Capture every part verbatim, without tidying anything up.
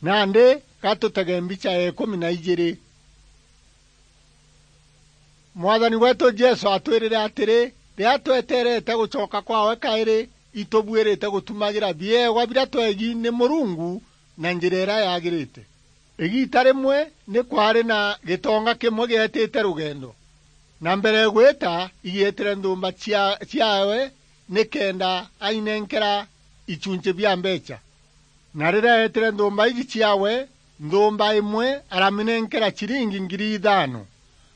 Nandi ga tutege mbicha ya ikumi na ijiri. Mwathani weetu Jesu atwirire atiri, riria tweterete gucoka kwaawe kairi, itubuirite gutumagira biewa biria tweegi ni Murungu na njira iria yaagirite. Igiita rimwe ni kwaari na gitonga kimwe gietite rugendo, na mbere ya gwita, igietire nthumba cia-, ciaawe nikenda ainenkera ichunchi bia mbeecha. Na riria eetire nthumba iji ciaawe, nthumba imwe araminenkera chiringi ngiri ithaano,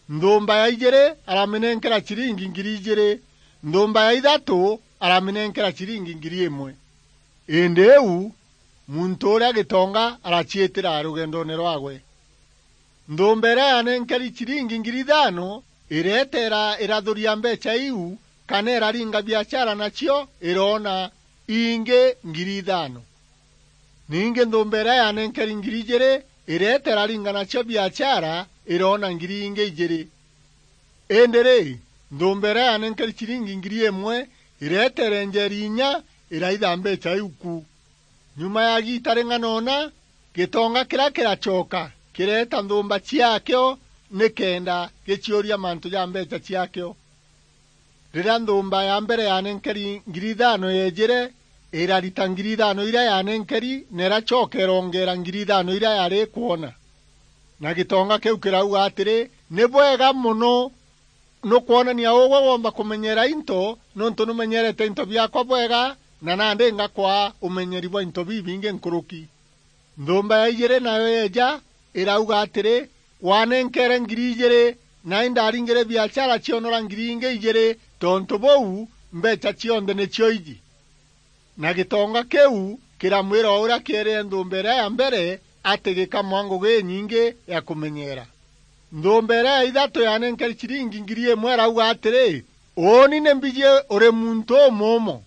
nthumba ya ijiri araminenkera chiringi ngiri ijiri, nthumba ya ithatu araminenkera chiringi ngiri imwe. Indi iu, muntu uria gitonga araciitira rugendoone rwaawe. Nthumba iria yaanenkeri chiringi ngiri ithaano ireeta ira-, irathuria mbeecha iu, kana iraringa biachara nacio, iroona ingi ngiri ithaano. Ningi nthumba iria yaanenkeri ngiri ijiri ireeta iraringa nacio biachara, iroona ngiri ingi ijiri. Indi ri, nthumba iria yaanenkeri chiringi ngiri imwe ireeta irenjeri inya, iraitha mbeecha iu ku. Nyuma ya giita ring'ana una, gitonga kiria kiracoka kireeta nthumba ciaakio nikenda giciuria mantu ja mbeecha ciaakio. Riria nthumba ya mbere yaanenkeri ngiri ithaano yeejire, irarita ngiri ithaano iria yaanenkeri, na iracoka irongeera ngiri ithaano iria yaari ikwona. Na gitonga kiu kirauga atiri, "Ni bwega mono, nukwonania ugwe woomba kumenyeera into, niuntu numenyeerete into biaakwa bwega, na nandi ngakwaa umenyeri bwa into bibingi nkuruki." Nthumba ya ijiri nayo yeeja, irauga atiri, "Waanenkeere ngiri ijiri, na indaringire biachara cionora ngiri ingi ijiri, tontu buu, mbeecha cionthe nicio iji." Na gitonga kiu kiramwira o uria kieerire nthumba iria ya mbere ati gikamwaa ngugi inyingi ya kumenyeera. Nthumba iria ya ithatu yaanenkeri chiringi ngiri imwe irauga atiri, "Uuni ni mbiji uri muntu umuumo.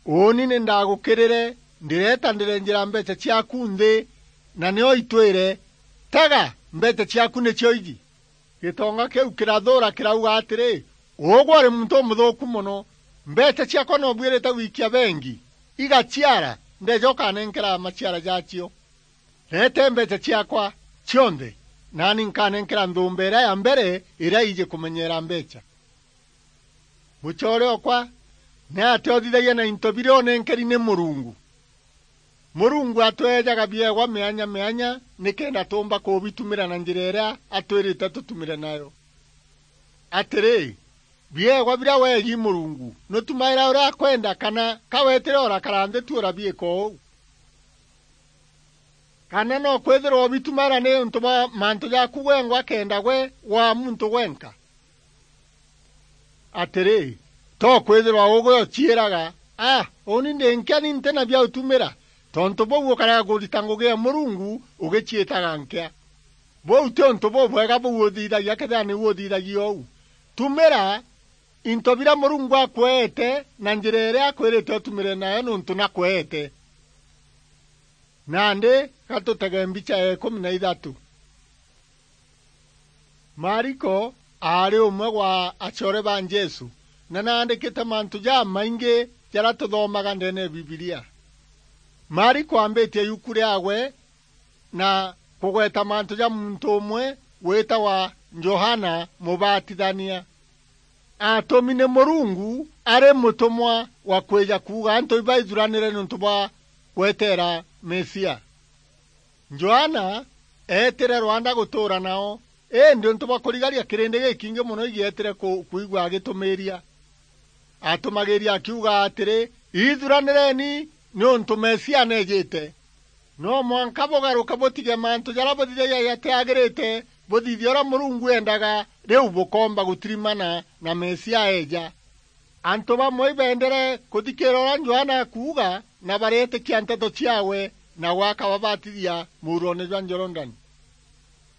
Uuni ni ndagukirire, ndireeta ndirenjera mbeecha ciaaku nthi, na nio itwire, 'Tega, mbeecha ciaaku nicio iji.'" Gitonga kiu kirathuura kirauga atiri, "Ugwe uri muntu umuthuuku mono! Mbeecha ciaakwa noobuirite gwikia bengi, igaciara, ndeeja ukanenkera maciara jaacio. Reete mbeecha ciaakwa cionthe, naani nkanenkera nthumba iria ya mbere iria iiji kumenyeera mbeecha." Mucoore okwa, ni atia uthithagia na into biria unenkeri ni Murungu? Murungu atweejaga biewa mianya mianya nikenda tuumba kubitumira na njira iria atwirite tutumire nayo. Atiri, biewa biria weegi Murungu, nutumaira uria akwenda, kana ka weetire urakara nthi tu urabiika uu? Kana no kwithirwa ubitumaira niuntu bwa mantu jaaku gwengwa kenda gwe waa muntu gwenka? Atiri, to kwithirwa ugwe uciiraga, "A, uuni ndi nkia, ni nti na bia utumira," tontu buu ukarega kurita ngugi ya Murungu ugiciitaga nkia. Buu ti untu bubwega buu uthithagia, kethira niu uthithagia uu. Tumira into biria Murungu akweete na njira iria akwirite utumire nayo, niuntu nakweete. Nandi ga tutege mbicha ya ikumi na ithatu. Mariko aari umwe wa acoore ba Jesu, na naandikite mantu jamaingi jaria tuthomaga ndeene ya Bibilia. Mariko aambitie yuku riaawe na kugweta mantu ja muntu umwe witawa Johana Mubatithania. Atumi ni Murungu ari mutumwa wa kwija kuuga antu ibaithuranire niuntu bwa gweteera Mesia. Johana eetire rwanda gutuura nao, indi untu bwa kurigaria kirindi gikingi mono igietire ku-, kwigua agitumiiria. Atumagiiria akiuga atiri, "Ithuranireni, niuntu Mesia neejite. No mwanka bugaruke butige mantu jaria buthithagia jatiagirite, buthithie uria Murungu eendaga, riu bukoomba gutirimana na Mesia eeja." Antu bamwe ibeendere kuthikiira uria Johana akuuga, na bareetikia nteto ciaawe, nawe akababatithia muuroone jwa Jorodani.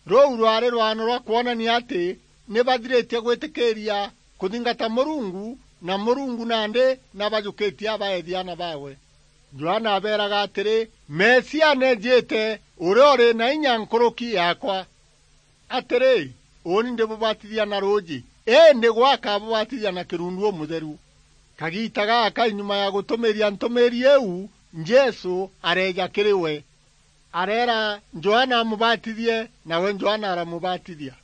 Ruu rwaari rwano rwa kwonania ati ni bathiritie gwitikiiria kuthingata Murungu, na Murungu nandi nabajukitie abaethia aana baawe. Johana abeeraga atiri, "Mesia neejite, uria uri na inya nkuruki yaakwa. Atiri, uuni ndibubatithia na ruuji, indi gwe akabubatithia na kirundu umutheru." Kagiita gaka, nyuma ya gutumiiria ntumiiri iu, Jesu areeja kiri we. Areera Johana amubatithie, nawe Johana aramubatithia.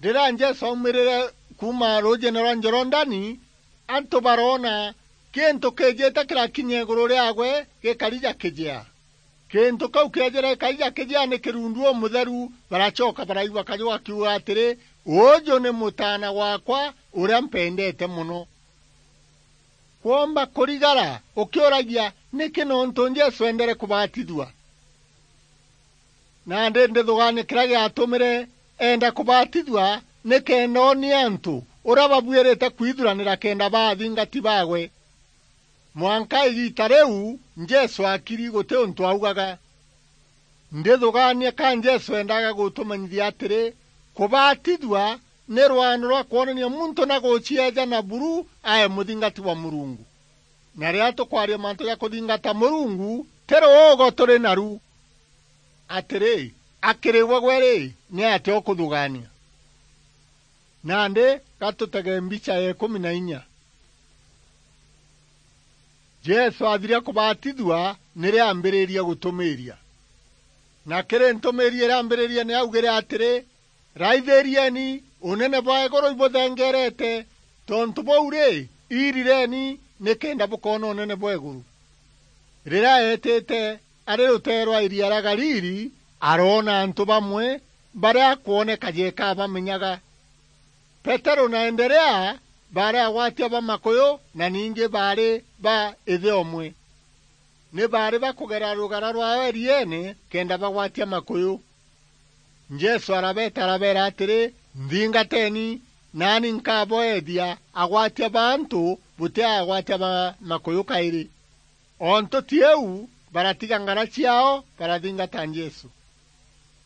Riria Jesu aumirire kuuma ruujiine rwa Jorodani, antu baroona kintu kiijite kirakinya iguru riaagwe gikari ja kijea. Kintu kiu kiejire gikari ja kijea ni kirundu umutheru, baracoka baraigua kaju gakiuga atiri, "Uju ni Mutaana waakwa uria mpendete mono." Kwomba kurigara ukiuragia, "Niki nontu Jesu eendere kubatithua?" Nandi ndithugaania kiria giatumire eenda kubatithua, nikenda oonie antu uria babuirite kwithuranira kenda baa athingati baagwe. Mwanka igiita riu Jesu akiri, guti untu augaga. Ndithugaania ka Jesu eendaga gutumenyithia atiri, kubatithua ni rwano rwa kwonania muntu na gucieeja na buru ae muthingati wa Murungu. Na riria tukwaria mantu ja kuthingata Murungu, ti ruugo turi naru. Atiri, akiri gwe gwe ri, ni atia ukuthugaania? Nandi ga tutege mbicha ya ikumi na inya. Jesu athiria kubatithua, nirio aambiriria gutumiiria. Na kiri ntumiiria iria aambiririe ni augire atiri, "Raithirieni, unene bwa iguru ibuthengerete, tontu buu ri, irireni nikenda bukoona unene bwa iguru." Riria eetite ari ruteere rwa iria ria Galili, aroona antu bamwe baria kwoneka jeka abamenyaga. Peteru na Anderea baari agwatia ba makuyu, na ningi baari ba ithe umwe. Ni baari bakugera rugara rwao irieene kenda bagwatia makuyu. Jesu arabeeta arabeera atiri, "Nthingateni, naani nkaboethia agwatia ba antu buti agwatia ba makuyu kairi." O ntuti iu, baratiga ngara ciaao, barathingata Jesu.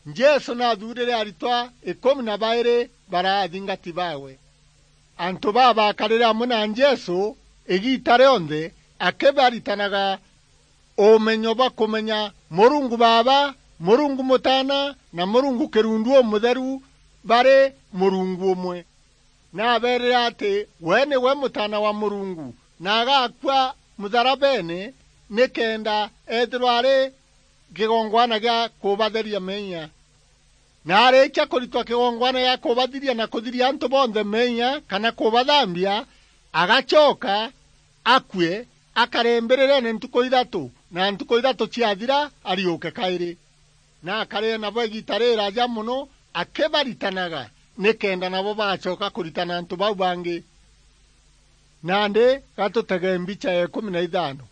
Jesu naathuurire aritwa ikumi na bairi baraa athingati baawe. Antu baa baakarire amwe na Jesu igiita rionthe, akibaritanaga umenyo bwa kumenya Murungu Baaba, Murungu Mutaana, na Murungu Kirundu Umutheru bari Murungu umwe. Naabeerire ati we niwe Mutaana wa Murungu, na agakua mutharabeene nikenda eethirwa ari kigongwana gia kubatheria meeyia. Na arikia kuritwa kigongwana gia kubathiria na kuthiria antu bonthe meeyia kana kubathambia, agacoka akue, akare mbirireene ntuku ithatu, na ntuku ithatu ciathira, ariuke kairi. Na akarire nabo igiita riraaja mono, akibaritanaga, nikenda nabo bagacoka kuritana antu bau bangi. Nandi ga tutege mbicha ya ikumi na ithano.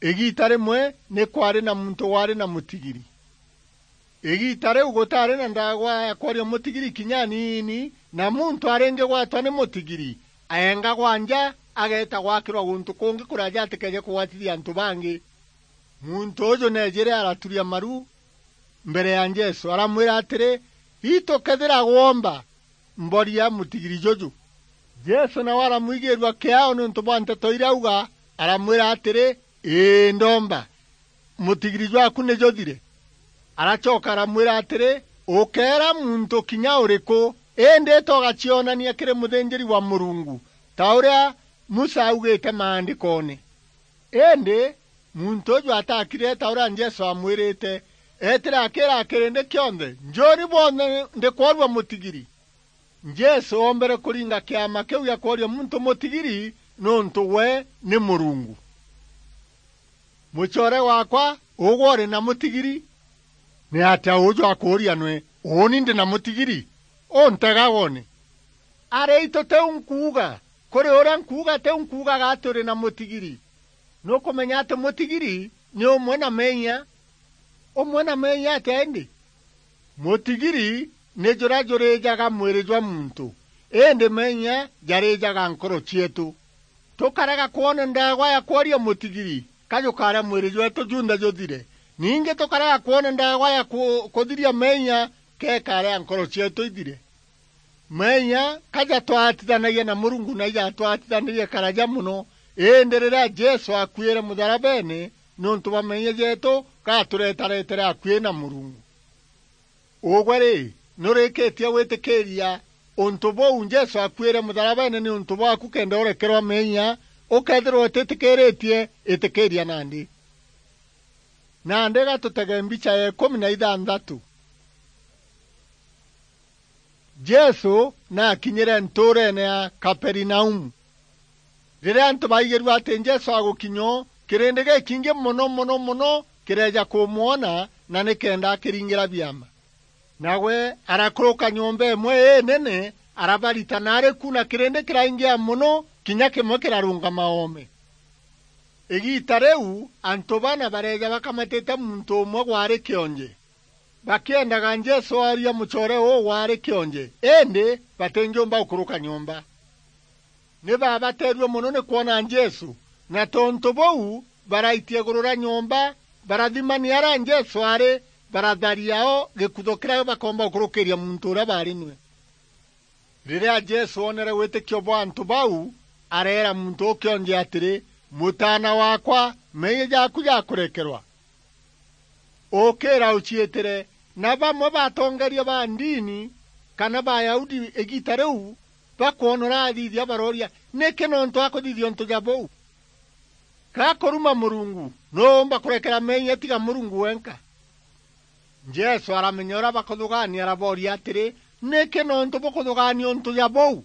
Igiita rimwe ni kwaari na muntu waari na mutigiri. Igiita riu gutaari na ndaagwa ya kworia mutigiri kinya aniini, na muntu aringigwatwa ni mutigiri, aengagwa nja, ageeta gwakirwa guntu kungi kuraaja atikeeje kugwatithia antu bangi. Muntu uju neejire araturia maru mbere ya Jesu, aramwira atiri, "Itu kethira gwomba, mboria mutigiri juju." Jesu nawe aramwigiirua kiao niuntu bwa nteto iria auga, aramwira atiri, "Ii, ndomba. Mutigiri jwaku ni juthire." Aracoka aramwira atiri, "Ukeera muntu kinya uriku, indi ita ugacionania kiri muthinjiri wa Murungu, ta uria Musa augite maandikoone." Indi muntu uju atakirire ta uria Jesu aamwirite, eetire akiira kirindi kionthe, "Njuuni bwonthe ndikworua mutigiri." Jesu oombere kuringa kiama kiu gia kworia muntu mutigiri niuntu we ni Murungu. Mucoore waakwa, ugwe uri na mutigiri? Ni atia uju akuuria nwe, "Uuni ndi na mutigiri?" Untega woone. Ari itu tiu nkuuga, kuri uria nkuuga tiu nkuugaga ati uri na mutigiri. Nukumenya ati mutigiri ni umwe na meeyia? Umwe na meeyia atia indi? Mutigiri ni juria juriijaga mwiri jwa muntu, indi meeyia jariijaga nkoro cieetu. Tukarega kwona ndaagwa ya kworia mutigiri, ka jukaaria mwiri jweetu junthe juthire. Ningi tukarega kwona ndaagwa ya ku-, kuthiria meeyia, ka ikaaria nkoro cieetu ithire. Meeyia ka jatwaatithanagia na Murungu na ijatwaatithanirie karaja mono, indi riria Jesu aakuire mutharabeene niuntu bwa meeyia jeetu, gatureetareetere akui na Murungu. Ugwe ri, nurikitie gwitikiiria untu buu Jesu aakuire mutharabeene niuntu bwaaku kenda urekerwa meeyia? Ukeethirwa utitikiritie, itikiiria nandi. Nandi ga tutege mbicha ya ikumi na ithanthatu. Jesu naakinyire ntuureene ya Kaperinaumu. Riria antu baigirue ati Jesu agukinya o, kirindi gikingi mono, mono, mono kireeja kumwona, na nikenda akiringira biama. Nawe arakuruka nyomba imwe inene, arabarita naari ku, na kirindi kiraingia mono, kinya kimwe kirarungama oome. Igiita riu, antu bana bareeja bakamatite muntu umwe waari kionje, bakiendaga Jesu ooria mucoore uu waari kionje, indi batingiumba gukuruka nyomba. Ni baabateerue mono ni kwona Jesu, na tontu buu, baraitia iguru ria nyomba, barathima ni aria Jesu aari, baratharia o gikutho kiria bakoomba gukurukiiria muntu uria baari nwe. Riria Jesu oonere witikio bwa antu bau, areera muntu uu kionje atiri, "Mutaana waakwa, meeyia jaaku jakurekerwa. Ukiira uciitire." Na bamwe ba atongeeria ba ndini kana Bayahudi igiita riu bakwona urathithia barooria, "Niki nontu akuthithia untu ja buu? Ga kuruma Murungu, nuu uumba kurekera meeyia tiga Murungu wenka?" Jesu aramenya uria bakuthugaania, arabooria atiri, "Niki nontu bukuthugaania untu ja buu?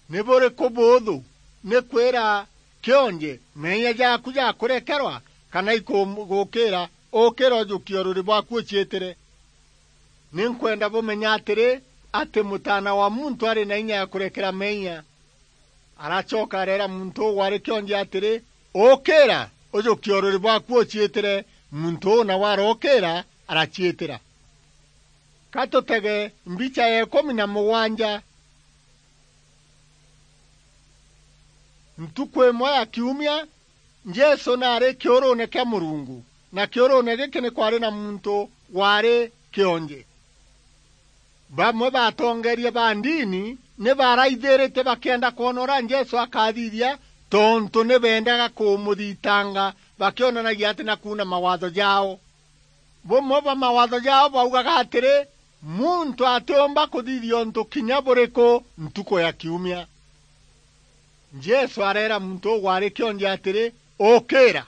Ni buriku buuthu, ni kwira kionje, 'Meeyia jaaku jakurekerwa,' kana ikugukiira, 'Ukiira ujukie uriri bwaku uciitire'? Ni nkwenda bumenye atiri, ati Mutaana wa Muntu ari na inya ya kurekera meeyia." Aracoka areera muntu uu waari kionje atiri, "Ukiira, ujukie uriri bwaku uciitire." Muntu uu nawe arokiira, araciitira. Ka tutege mbicha ya ikumi na mugwanja. Ntuku imwe ya kiumia, Jesu naari kiuruune kia Murungu, na kiuruune giki ni kwaari na muntu waari kionje. Bamwe ba atongeeria ba ndini ni baaraithirite bakienda kwona uria Jesu akathithia, tontu ni beendaga kumuthitanga bakionanagia ati na kuuna mawatho jao. Bumwe bwa mawatho jao baugaga atiri, muntu atiumba kuthithia untu kinya buriku ntuku ya kiumia. Jesu areera muntu uu waari kionje atiri, "Ukiira."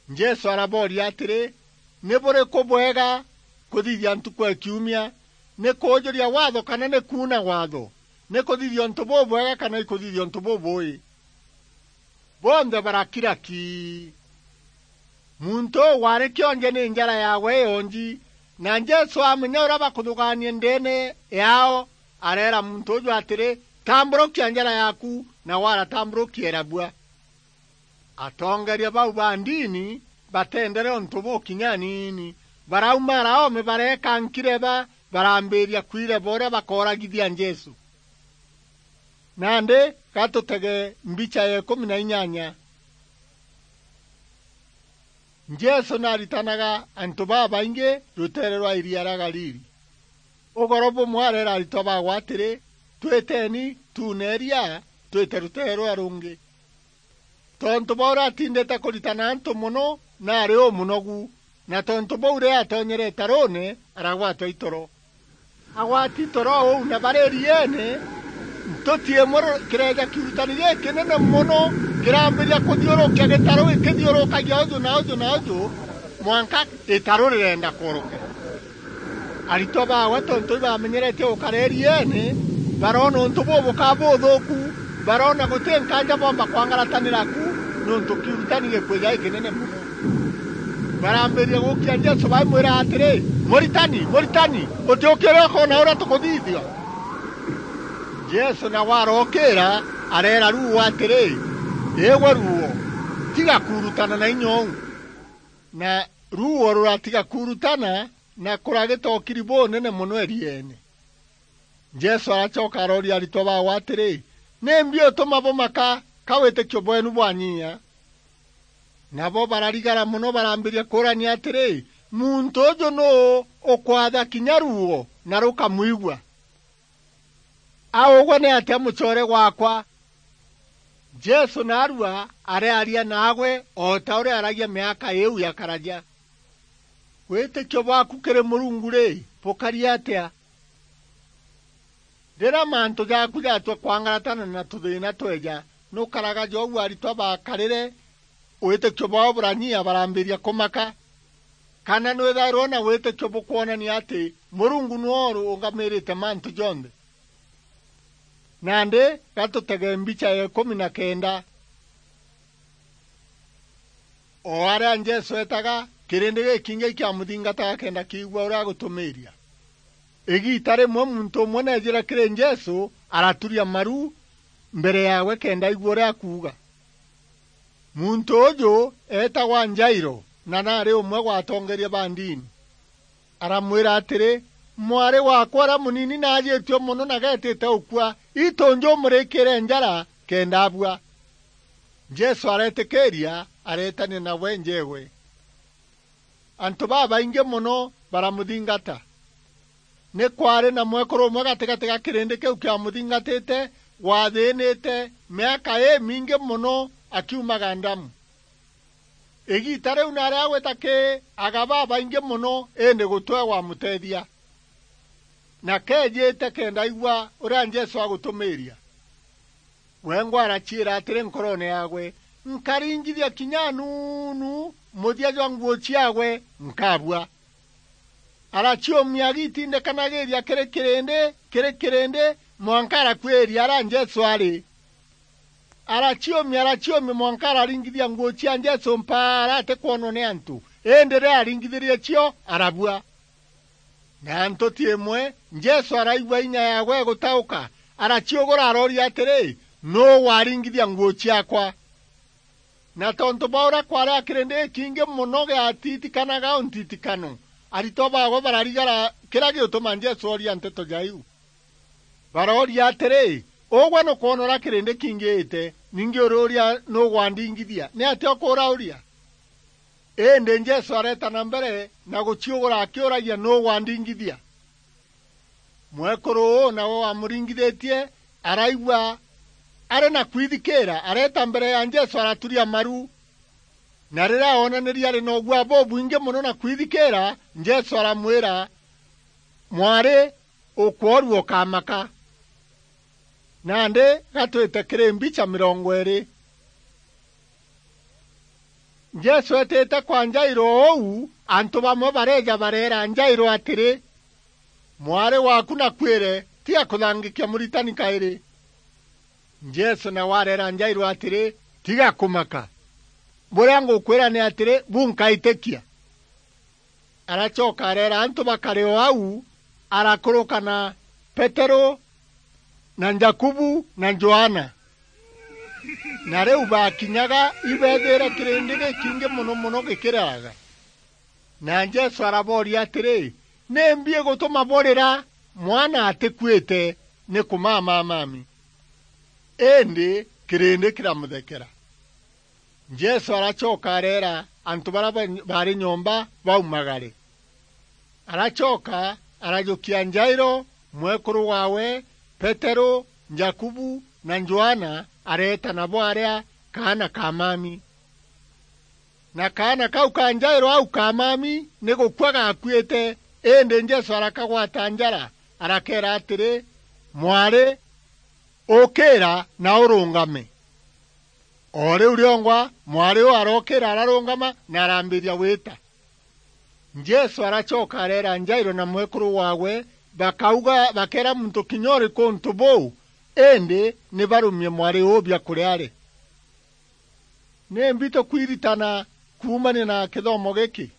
Jesu arabooria atiri, "Ni buriku bwega kuthithia ntuku ya kiumia? Ni kuujuria watho kana ni kuuna watho? Ni kuthithia untu bubwega kana ikuthithia untu bubui?" Bonthe barakira ki. Muntu uu waari kionje ni njara yaawe ionji, na Jesu amenya uria bakuthugaania ndeene yaao, areera muntu uju atiri, "Tamburukia njara yaaku," nawe aratamburukia irabua. Atongeeria bau ba ndini bateendere untu buu kinya aniini. Baraumara oome bareeka nkireba, barambiiria kwireba uria bakooragithia Jesu. Nandi ga tutege mbicha ya ikumi na inyanya. Jesu naaritanaga antu babaingi ruteere rwa iria ria Galili. Ugoro bumwe areera aritwa baawe atiri, "Twiteni, tuune iria, twite ruteere ruria rungi." Tontu bwa uria atindite kuritana antu mono, naari umunogu, na tontu buu riria atonyere itaruune, aragwatwa itoro. Agwati itoro uu na bari irieene, ntuti imwe ru-, kireeja kiurutani gikinene mono, kirambiria kuthiurukia gitaru gikithiurukagia uju na uju na uju, mwanka itaru rirenda kworokera. Aritwa baawe, tontu ibamenyeretie gukara irieene, baroona untu bubukaa buthuuku, baroona guti nkaanja boomba kwangaratanira ku, niuntu kiurutani gikwija gikinene mono. Barambiria gukia Jesu, baimwira atiri, "Muritani, Muritani, utiukia uria ukoona uria tukuthithia?" Jesu nawe arokiira, areera ruuo atiri, "Igwe ruuo, tiga kuurutana na inya uu." Na ruuo ruratiga kuurutana, na kuragita ukiri bunene mono irieene. Jesu aracoka arooria aritwa baawe atiri, "Nimbi utuma bumaka ka witikio bweenu bwanyiia?" Nabo bararigara mono, barambiria kuurania atiri, "Muntu uju nuu ukwatha kinya ruuo na rukamwigua? Augwe ni atia mucoore gwaakwa?" Jesu naarua arearia naagwe o ta uria aaragia miaka iiu ya karaja. Witikio bwaaku kiri Murungu ri, bukari atia? Riria mantu jaaku jaatua kwangaratana na tuthiina tweeja, nukaraga jou aritwa baakarire Witikio bwao buranyia, barambiria kumaka. Kana nwithairwe na witikio bukwonania ati Murungu niwe urungamirite mantu jonthe? Nandi, ga tutege mbicha ya ikumi na kenda. O aria Jesu eetaga, kirindi gikingi kiamuthingataga kenda kiigua uria agutumiiria. Igiita rimwe muntu umwe neejire kiri Jesu, araturia maru mbere yaawe kenda aigua uria akuuga. Muntu uju eetagwa Jairo, na naari umwe gwa atongeeria ba ndini. Aramwira atiri, "Mwari waakwa uria munini naajitue mono na geetite ukua. Itu njumurikiire njara kenda abua." Jesu areetikiiria, areetania nawe njeegwe. Antu babaingi mono baramuthingata. Ni kwaari na mwekuru umwe gatigati ga kirindi kiu kiamuthingatite, waathiinite miaka imingi mono akiumaga ndamu. Igiita riu naari agwita ki aga babaingi mono, indi gutwe wamuteethia. Na keejite kenda aigua uria Jesu agutumiiria. Wengwa araciira atiri nkoroone yaawe, "Nkaringithia kinya anuunu muthia jwa nguu ciaawe, nkabua." Araciumia agitindikanagiiria kiri kirindi, kiri kirindi, mwanka arakuiria aria Jesu ari. Araciumia, araciumia, mwanka araringithia nguu cia Jesu mpaara atikwonwa ni antu, indi riria aringithirie cio, arabua. Na ntuti imwe, Jesu araigua inya yaawe igutauka, araciugura, arooria atiri, "Nuu waringithia nguu ciaakwa?" Na tontu bwa uria kwaari a kirindi gikingi mono giatitikanaga untitikano, aritwa baawe bararigara kiria gigutuma Jesu ooria nteto ja iu. Barooria atiri, "Ugwe nukwona uria kirindi kingiite, ningi uruuria, 'Nuu gwandingithia?' Niatia ukuurauria?" Indi Jesu areeta na mbere na guciugura akiuragia, "Nuu gwandingithia?" Mwekuru uu nawe wamuringithitie araigua ari na kwithikiira, areeta mbere ya Jesu araturia maru. Na riria oonanirie ari na uguaa bubwingi mono na kwithikiira, Jesu aramwira, "Mwari, ukworua ukamaka." Nandi gatwite kiri mbicha mirongo iiri. Jesu eetite kwa Jairo uu, antu bamwe bareeja bareera Jairo atiri, "Mwari waaku nakuire, tiga kuthangikia Muritani kairi." Jesu nawe areera Jairo atiri, "Tiga kumaka. Buria ngukwira ni atiri, bunkaitikia." Aracoka areera antu bakare o au, arakuruka na Peteru, na Jakubu, na Johana. Na riu baakinyaga, ibeethiire kirindi gikingi mono mono gikiriraga. Na Jesu arabooria atiri, "Nimbi igutuma burira? Mwana atikuite, ni kumamamami." Indi kirindi kiramuthekera. Jesu aracoka areera antu baria ba-, baari nyomba baumagare. Aracoka arajukia Jairo, mwekuru waawe, Peteru, Jakubu, na Johana, areeta nabo aria kaana ka mami. Na kaana kau ka Jairo au ka mami ni gukua gaakuite, indi Jesu arakagwata njara, arakeera atiri, "Mwari, ukiira na urungame." O riu riongwa, mwari uu arokiira, ararungama, na arambiria gwita. Jesu aracoka areera Jairo na mwekuru waawe, bakauga, bakeera muntu kinya uriku untu buu, indi ni barumie mwari uu biakuria ari. Nimbi tukwiritana kuumania na kithomo giki?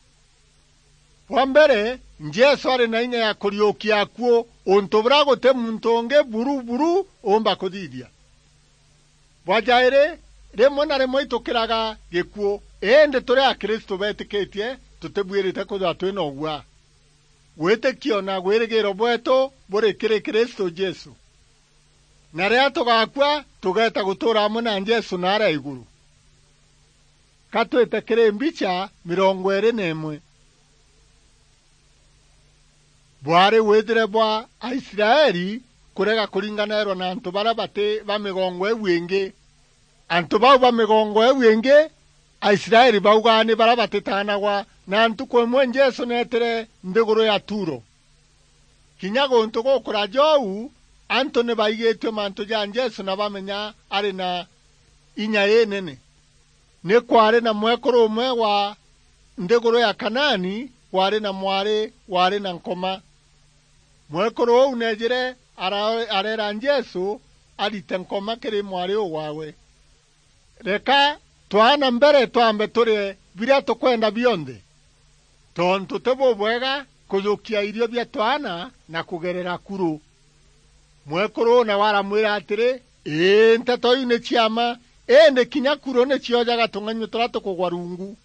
Bwa mbere, Jesu ari na inya ya kuriukia akuu, untu buria guti muntu ungi buru buru uumba kuthithia. Bwa jairi, rimwe na rimwe itukiraga gikuu, indi turi Akristu beetikitie, tutibuirite kwithirwa twi na uguaa. Witikio na gwirigiiro bweetu buri kiri Kristu Jesu. Na riria tugakua, tugeeta gutuura amwe na Jesu naaria iguru. Ka twite kiri mbicha mirongo iiri na imwe. Bwaari withire bwa Aisraeli kurega kuringanairwa na antu baria bati ba migongo iu ingi. Antu bau ba migongo iu ingi, Aisraeli baugaa ni baria batitaanagwa, na ntuku imwe Jesu neetire nthiguru ya Turo. Kinya guntu gukuraja uu, antu ni baigitue mantu ja Jesu na bamenya ari na inya inene. Ni kwaari na mwekuru umwe wa nthiguru ya Kanaani waari na mwari waari na nkoma. Mwekuru uu neejire ara-, areera Jesu arite nkoma kiri mwari uu waawe. Reka twaana mbere twambe turie biria tukwenda bionthe, tontu ti bubwega kujukia irio bia twaana na kugerera kuru. Mwekuru uu nawe aramwira atiri, "Ii, nteto iu ni cia mma, indi kinya kuru ni ciojaga tung'enyua turia tukugwa rungu."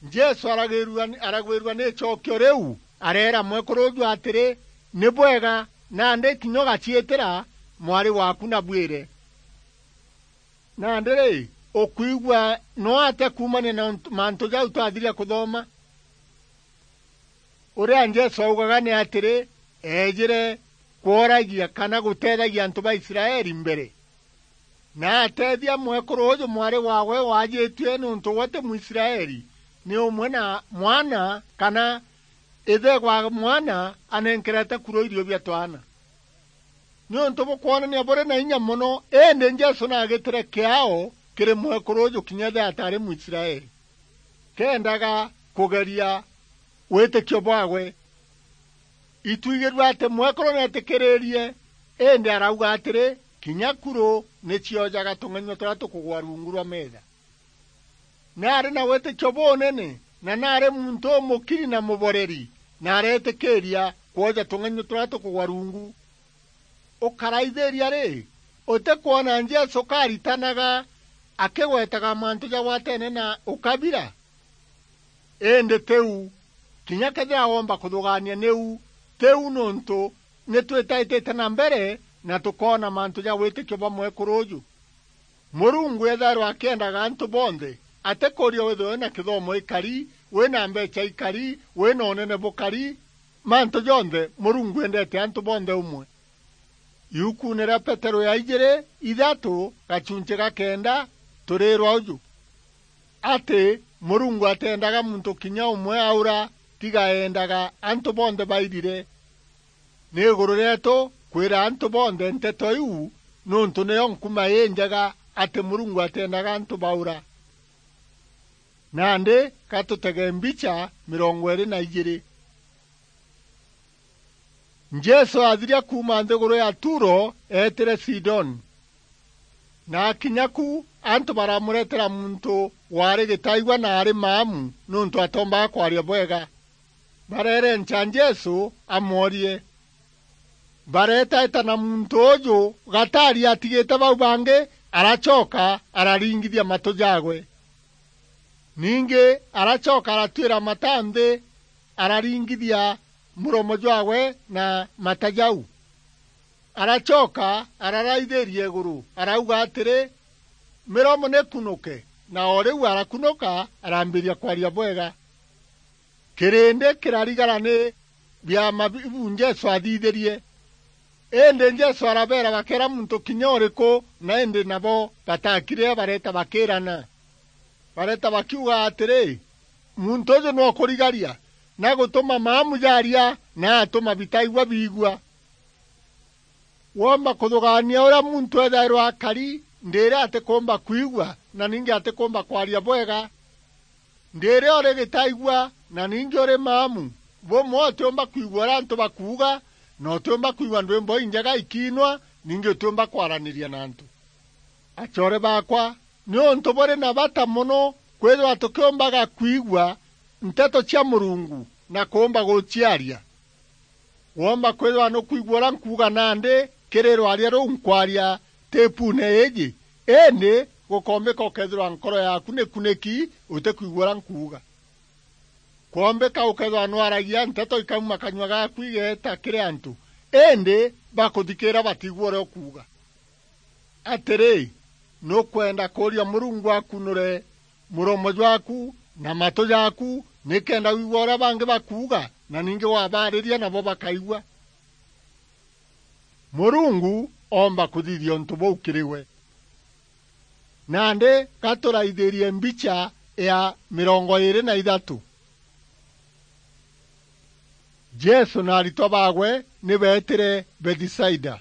Jesu aragwirua, aragwirua ni icookio riu, areera mwekuru uju atiri, "Ni bwega, nandi kinya ugaciitira mwari waaku na bwire." Nandi ri, ukwigua no ate kuumania na untu, mantu jau twathiria kuthoma? Uria Jesu augaga ni atiri, eejire kworagia kana guteethagia antu ba Israeli mbere. Na ateethia mwekuru uju mwari waawe waajitue niuntu we ti Mwisraeli, ni umwe na mwana kana ithe wa mwana anenkerete kuru irio bia twaana. Niuntu bukwonania buri na inya mono, indi Jesu naagitire kiao kiri mwekuru uju kinya ethira ataari Mwisraeli. Keendaga kugeria witikio bwaawe. Itwigirue ati mwekuru neetikiririe, indi arauga atiri, "Kinya kuru ni ciojaga tung'enyua turia tukugwa rungu rwa meetha." Naari na witikio bunene, na naari muntu umukiri na muboreri, na areetikiiria kwoja tung'enyua turia tukugwa rungu. Ukaraithiria ri, utikwona Jesu kaaritanaga akigwetaga mantu jagwateene na ukabira? Indi tiu, kinya kethira womba kuthugaania niu, tiu, niuntu ni twitaitite na mbere na tukoona mantu ja witikio bwa mwekuru uju. Murungu ethairwa akiendaga antu bonthe, atikuuria withirwe wina kithomo ikari, wina mbecha ikari, wina unene bukari, mantu jonthe Murungu endete antu bonthe umwe. Iukune ria Petero ya ijiri, ithatu, gachunchi ga kenda, turiirwa uju, ati Murungu ateendaga muntu kinya umwe aura, tiga eendaga antu bonthe bairire. Ni iguru rieetu kwira antu bonthe nteto iu, niuntu niyo nkuma injega ati Murungu ateendaga antu baura. Nandi ka tutege mbicha mirongo iiri na ijiiri. Jesu aathiria kuuma nthiguru ya Turo, eetire Sidoni. Na akinya ku, antu baramureetera muntu waari gitaigua na aari maamu, niuntu atoombaga kwaria bwega. Bareerenca Jesu amworie. Bareetaeta na muntu uju gataari atigite bau bangi, aracoka araringithia matu jaawe. Ningi aracoka aratuira mata nthi, araringithia muromo jwaawe na mata jau. Aracoka araraithiria iguru, arauga atiri, "Miromo nikunuke," na o riu arakunuka, arambiria kwaria bwega. Kirindi kirarigara ni biama bibu Jesu aathithirie. Indi Jesu arabeera bakeera muntu kinya uriku, na indi nabo batakirire, bareeta bakiirana. Bareeta bakiuga atiri, "Muntu uju nokurigaria, na gutuma maamu jaaria, na atuma bitaigua biigua." Woomba kuthugaania uria muntu ethairwa akari, ndiiri atikumba kwigua, na ningi atikumba kwaria bwega? Ndiiri uri gitaigua, na ningi uri maamu. Bumwe utiumba kwigua uria antu bakuuga, na utiumba kwigua ndwimbo injega ikiinwa, ningi utiumba kwaraniria na antu. Acoore baakwa, niuntu buri na bata mono kwithirwa tukiumbaga kwigua nteto cia Murungu na kuumba guciaria. Woomba kwithirwa nukwigua uria nkuuga nandi kiri rwaria ruu nkwaria tipuune iiji, indi gukoombika ukethirwa nkoro yaaku nikuniki utikwigua uria nkuuga. Kwombika ukethirwa nwaragia nteto ikauma kanyua gaaku igeeta kiri antu, indi bakuthikira batiigua uria ukuuga. Atiri, nukwenda kuuria Murungu akunure muromo jwaku na matu jaaku, nikenda wigua uria bangi bakuuga, na ningi wabaariria nabo bakaigua. Murungu oomba kuthithia untu buu kiri we. Nandi ga turaithirie mbicha ya mirongo iiri na ithatu. Jesu na aritwa baawe ni beetire Bethisaida.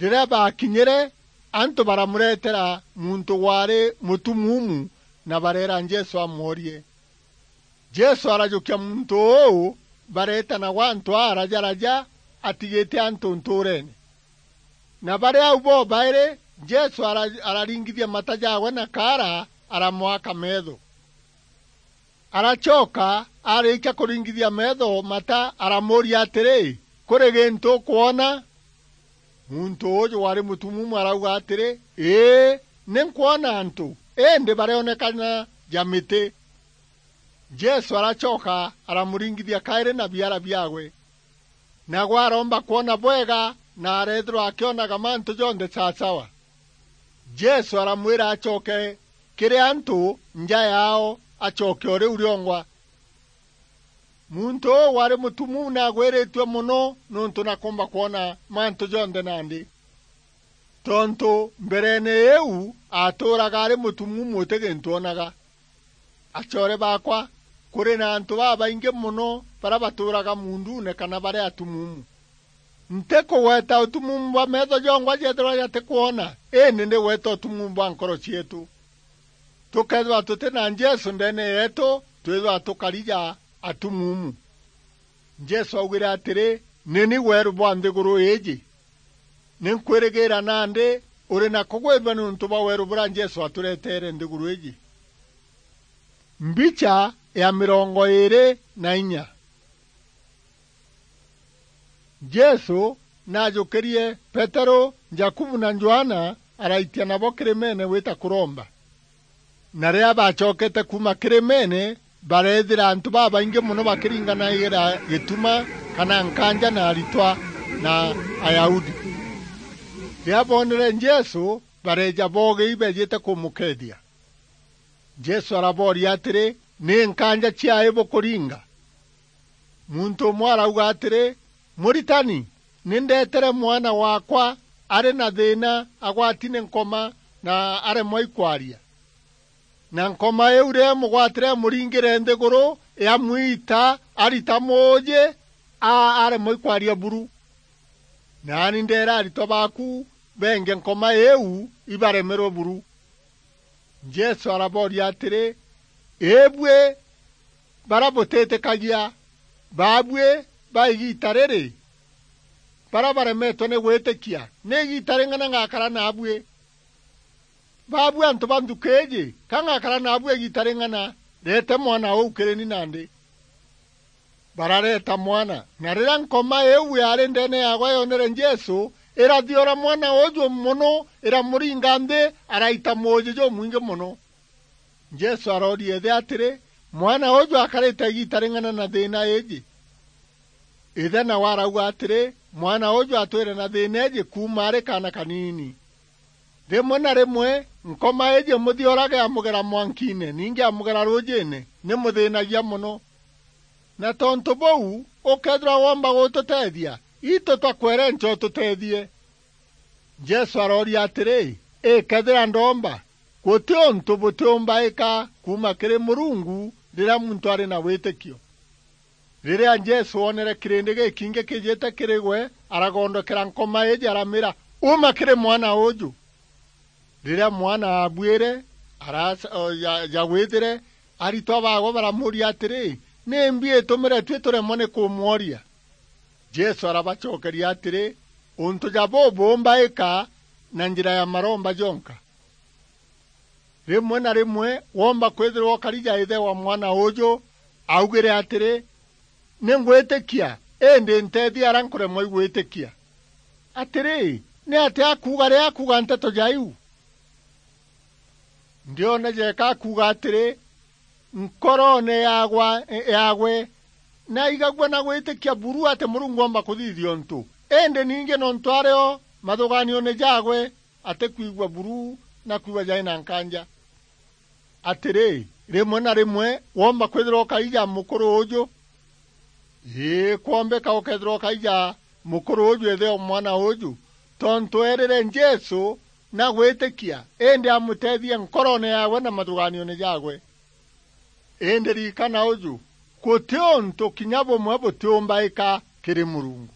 Riria baakinyire, Antu baramuretera muntu waari mutumuumu na bareera Jesu amworie. Jesu arajukia muntu uu, bareeta nawe antu aa araja araja atigite antu ntuureene. Na bari au bobairi, Jesu ara-, araringithia mata jaawe na kaara, aramwaka meetho. Aracoka, aarikia kuringithia meetho mata, aramuuria atiri, "Kuri gintu ukwona?" Muntu uuju waari mutumuumu arauga atiri, "Ii, ni nkwona antu, indi barionekana ja miti." Jesu aracoka aramuringithia kairi na biara biaawe. Nagwe aromba kwona bwega, na areethirwa akionaga mantu jonthe sasawa. Jesu aramwira acoke kiri antu nja yaao, acoke o riu riongwa. Muntu uu waari mutumuumu naagwiritue mono niuntu nakumba kwona mantu jonthe nandi. Tontu mbereene iu aatuuraga ari mutumuumu uti gintu oonaga. Acoore baakwa, kuri na antu babaingi mono baria batuuraga muunduune kana bari atumuumu. Ntikugweta utumuumu bwa meetho jongwa jeethirwa jatikwona, indi ndigweta utumuumu bwa nkoro cieetu. Tukeethirwa tuti na Jesu ndeene yeetu, twithirwa tukari ja atumuumu. Jesu augire atiri, "Ni ni weeru bwa nthiguru iiji. Ni nkwirigiira nandi uri na kugwirua niuntu bwa weeru buria Jesu atureteere nthiguru iiji." Mbicha ya mirongo iiri na inya. Jesu naajukirie Peteru, Jakubu na Johana, araitia nabo kirimeene gwita kuromba. Na riria baacokete kuuma kirimeene, bareethira antu babaingi mono bakiringanagira gituma kana nkanja na aritwa na Ayahudi. Riria boonere Jesu, bareeja boogii beejite kumukeethia. Jesu arabooria atiri, "Ni nkanja ciai bukuringa?" Muntu umwe arauga atiri, "Muritani, ni ndeetere mwana waakwa ari na thiina, agwati ni nkoma na aremwa ikwaria. Na nkoma iu riria imugwatire imuringire nthiguru, iamwita arita muuji, a-, aremwa ikwaria buru. Naani ndeera aritwa baaku beenge nkoma iu ibaremerwe buru." Jesu arabooria atiri, "Iibui baria butiitikagia, baabui ba igiita riri, baria baremetwe ni gwitikia, ni igiita ring'ana ngakara naabui? Baabui antu ba nthuki iiji, ka ngakara naabui igiita ring'ana? Reete mwana uu kiri ni nandi." Barareeta mwana, na riria nkoma iu yaari ndeene yaagwe yoonere Jesu, irathiora mwana uuju mono, iramuringa nthi, araita muuji jumwingi mono. Jesu arooria ithe atiri, "Mwana uuju akarite igiita ring'ana na thiina iiji?" Ithe nawe arauga atiri, "Mwana uuju atwire na thiina iiji kuuma ari kaana kaniini. Rimwe na rimwe, nkoma iiji imuthiorage amugera mwankiine, ningi amugera ruujiine, ni muthiinagia mono. Na tontu buu, ukeethirwa woomba gututeethia, itu twakwere ncha ututeethie." Jesu arooria atiri, "Ikeethira ndoomba, guti untu butiumbaika kuuma kiri Murungu riria muntu ari na witikio." Riria Jesu oonere kirindi gikingi kijite kiri gwe, aragondokera nkoma iiji, aramiira, "Uma kiri mwana uuju." Riria mwana aabuire, araca-, o, ja-, jagwithire, aritwa baagwe baramuuria atiri, "Nimbi itumire tui turemwa ni kumworia?" Jesu arabacokeria atiri, "Untu ja bubu bumbaika na njira ya maromba jonka." Rimwe na rimwe woomba kwithirwa ukari ja ithe wa mwana uuju, augire atiri, "Ni ngwitikia, indi nteethia aria nkuremwa i gwitikia." Atiri, ni atia akuuga riria akuuga nteto ja iu? Ndiona jeeka akuuga atiri, nkoroone yaagwa-, yaagwe, naigagua na gwitikia buru ati Murungu oomba kuthithia untu, indi ningi nontu ari o mathugaanione jaagwe, atikwigua buru na kwigua jai na nkanja. Atiri, rimwe na rimwe woomba kwithirwa ukaija mukuru uuju? Ii, kwombeka ukeethirwa ukaija mukuru uuju ithe o mwana uuju, tontu eerire Jesu na gwitikia, indi amuteethie nkoroone yaagwe na mathugaanione jaagwe. Indi ririkana uju, guti untu kinya bumwe butiumbaika kiri Murungu.